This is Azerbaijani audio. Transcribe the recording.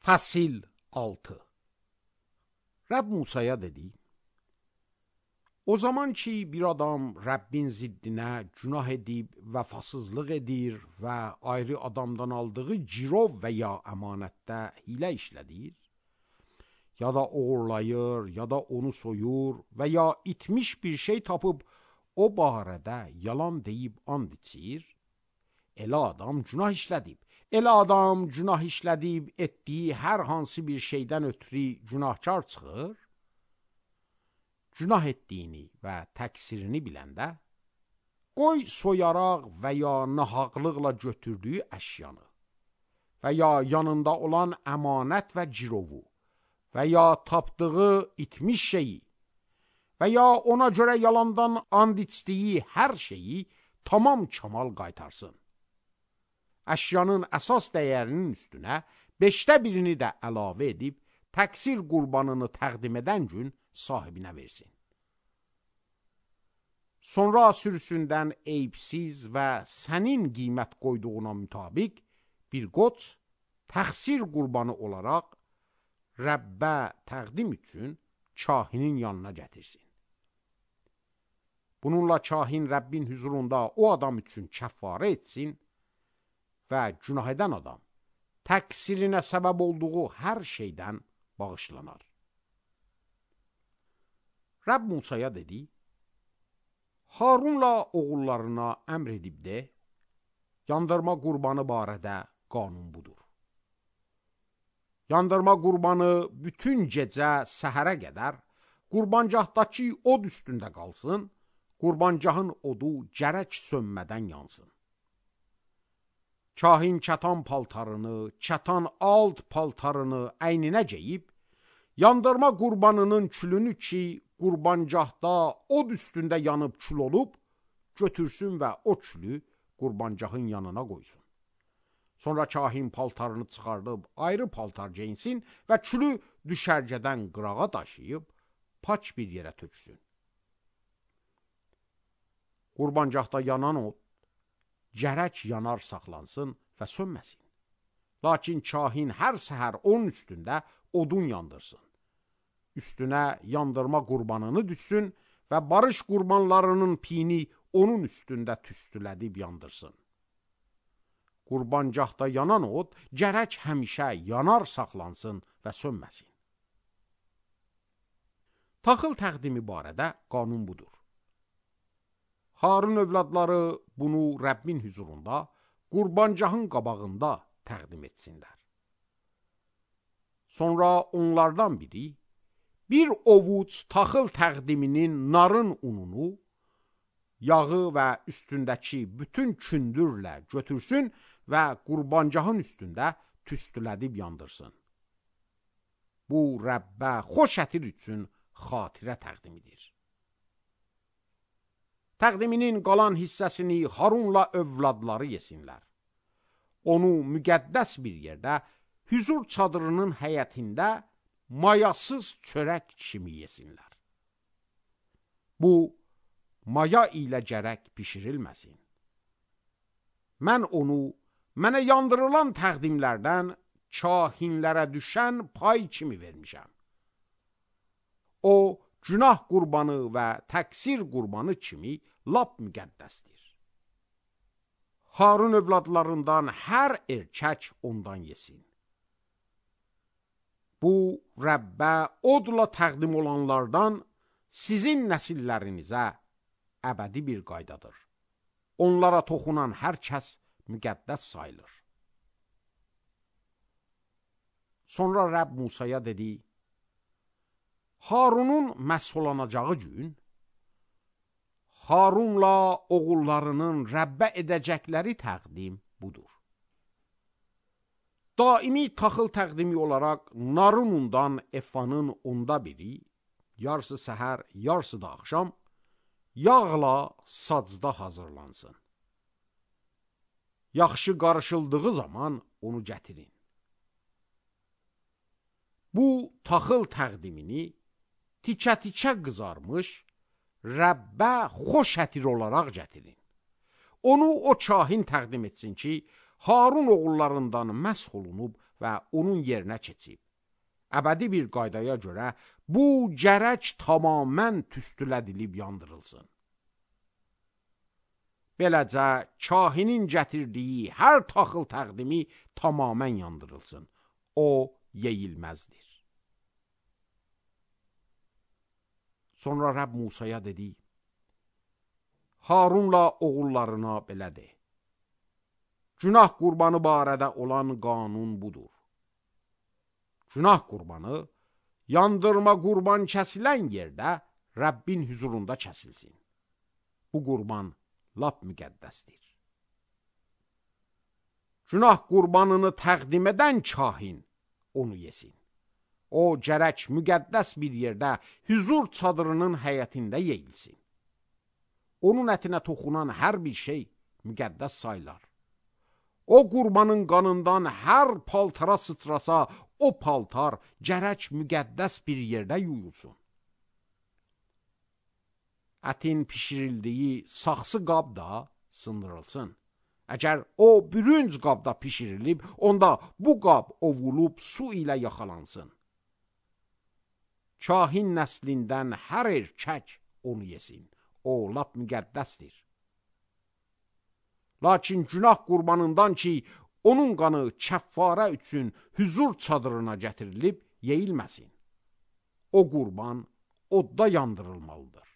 Fəsil 6. Rəbb Musaya dedi: O zaman ki bir adam Rəbbin ziddinə günah edib vəfasızlıq edir və ayrı adamdan aldığı girov və ya əmanətdə hilə işlədir, ya da oğurlayır, ya da onu soyur və ya itmiş bir şey tapıb o barədə yalan deyib and içir, elə adam günah işlədib. Elə adam günah işlədib etdiyi hər hansı bir şeydən ötürü günahkar çıxır, günah etdiyini və təqsirini biləndə, qoy soyaraq və ya nahaqlıqla götürdüyü əşyanı və ya yanında olan əmanət və cirovu və ya tapdığı itmiş şeyi və ya ona görə yalandan and içdiyi hər şeyi tamam kamal qaytarsın. Əşyanın əsas dəyərinin üstünə 1/5 də əlavə edib, təqsir qurbanını təqdim edən gün sahibinə versin. Sonra sürüsündən eyibsiz və sənin qiymət qoyduğuna mütabiq bir qoç təqsir qurbanı olaraq Rəbbə təqdim üçün kahinin yanına gətirsin. Bununla kahin Rəbbin huzurunda o adam üçün kəffarə etsin və günah edən adam təqsirinə səbəb olduğu hər şeydən bağışlanar. Rəbb Musaya dedi: Harunla oğullarına əmr edib de, yandırma qurbanı barədə qanun budur. Yandırma qurbanı bütün gecə səhərə qədər qurbancaqdakı od üstündə qalsın, qurbancağın odu gərək sönmədən yansın. Kahin kətan paltarını, kətan alt paltarını əyninə geyib, yandırma qurbanının külünü ki, qurbancaqda od üstündə yanıb kül olub, götürsün və o külü qurbancağın yanına qoysun. Sonra kahin paltarını çıxardıb ayrı paltar geyinsin və külü düşərgədən qırağa daşıyıb, paç bir yerə töksün. Qurbancaqda yanan od gərək yanar saxlansın və sönməsin. Lakin kahin hər səhər onun üstündə odun yandırsın. Üstünə yandırma qurbanını düşsün və barış qurbanlarının pini onun üstündə tüstülədib yandırsın. Qurbancaqda yanan od gərək həmişə yanar saxlansın və sönməsin. Taxıl təqdimi barədə qanun budur. Harun övladları bunu Rəbbin huzurunda, qurbancağın qabağında təqdim etsinlər. Sonra onlardan biri bir ovuc taxıl təqdiminin narın ununu, yağı və üstündəki bütün kündürlə götürsün və qurbancağın üstündə tüstülədib yandırsın. Bu Rəbbə xoş ətir üçün xatirə təqdimidir. Təqdiminin qalan hissəsini Harunla övladları yesinlər. Onu müqəddəs bir yerdə, hüzur çadırının həyətində mayasız çörək kimi yesinlər. Bu, maya ilə gərək pişirilməsin. Mən onu, mənə yandırılan təqdimlərdən kahinlərə düşən pay kimi vermişəm. O, günah qurbanı və təqsir qurbanı kimi lap müqəddəsdir. Harun övladlarından hər erkək ondan yesin. Bu, Rəbbə odla təqdim olanlardan sizin nəsillərinizə əbədi bir qaydadır. Onlara toxunan hər kəs müqəddəs sayılır. Sonra Rəbb Musaya dedi: Harunun məsulanacağı gün, Harunla oğullarının Rəbbə edəcəkləri təqdim budur. Daimi taxıl təqdimi olaraq narın undan efanın 1/10, yarısı səhər, yarısı da axşam, yağla sacda hazırlansın. Yaxşı qarışıldığı zaman onu gətirin. Bu taxıl təqdimini tikə-tikə qızarmış, Rəbbə xoş ətir olaraq gətirin. Onu o kahin təqdim etsin ki, Harun oğullarından məsh olunub və onun yerinə keçib. Əbədi bir qaydaya görə bu gərək tamamən tüstülədilib yandırılsın. Beləcə, kahinin gətirdiyi hər taxıl təqdimi tamamən yandırılsın. O, yeyilməzdir. Sonra Rəbb Musaya dedi, Harunla oğullarına belə de. Günah qurbanı barədə olan qanun budur. Günah qurbanı, yandırma qurban kəsilən yerdə Rəbbin huzurunda kəsilsin. Bu qurban lap müqəddəsdir. Günah qurbanını təqdim edən kahin onu yesin. O, gərək müqəddəs bir yerdə huzur çadırının həyətində yeyilsin. Onun ətinə toxunan hər bir şey müqəddəs sayılar. O qurbanın qanından hər paltara sıçrasa, o paltar gərək müqəddəs bir yerdə yuyulsun. Ətin pişirildiyi saxsı qab da sındırılsın. Əgər o bürünc qabda pişirilib, onda bu qab ovulub su ilə yaxalansın. Kahin nəslindən hər erkək onu yesin. O, lap müqəddəsdir. Lakin günah qurbanından ki, onun qanı kəffarə üçün huzur çadırına gətirilib, yeyilməsin. O qurban odda yandırılmalıdır.